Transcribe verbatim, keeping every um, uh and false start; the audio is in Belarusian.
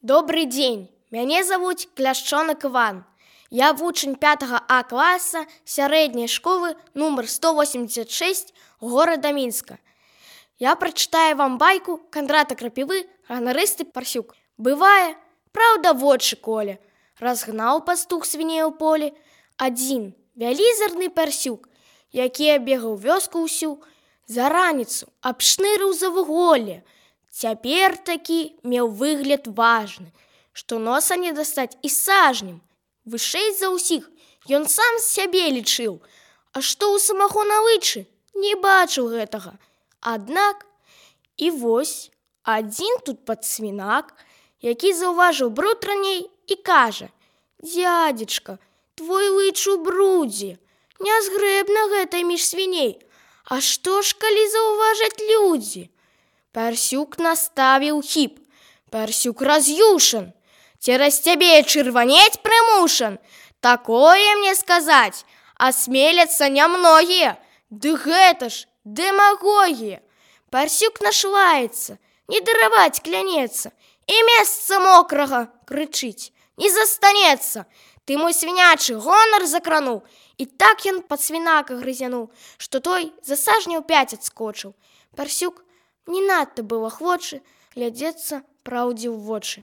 Добрый дзень, мяне завуць Кляшчонак Іван. Я вучань пятага А класа сярэдняй школы нумар сто восемьдесят шесть горада Мінска. Я прачытаю вам байку Кандрата Крапівы «Ганарысты парсюк». Бывае, праўда, вочы коле, разгнаў пастух свіней у полі. Адзін вялізарны парсюк, які абегаў вёску ўсю, за раніцу абшнырыў за вуголле. Цяпер такі меў выгляд важны, што носа не дастаць і сажнем. Вышэй за ўсіх ён сам сябе лічыў, а што ў самого навычы, не бачыў гэтага. Аднак і вось адзін тут падсвінак, які заўважыў бруд раней і кажа: «Дзядзечка, твой лыч у брудзе, нязгрэбна гэтай між свіней. А што ж, калі заўважаць людзі?» Парсюк наставіў хіп. Парсюк раз'юшан. «Цераз цябе чырванець прымушан. Такое мне сказаць асмеляцца нямногія. Ды гэта ж дэмагогія!» Парсюк нашлаецца, не дараваць клянецца, і месца мокрага, крычыць, не застанецца. Ты мой свінячы гонар закрануў. І так ён падсвінака грызянуў, што той за сажняў пяць адскочыў. Парсюк не надта быў ахвочы глядзецца праўдзе ў вочы.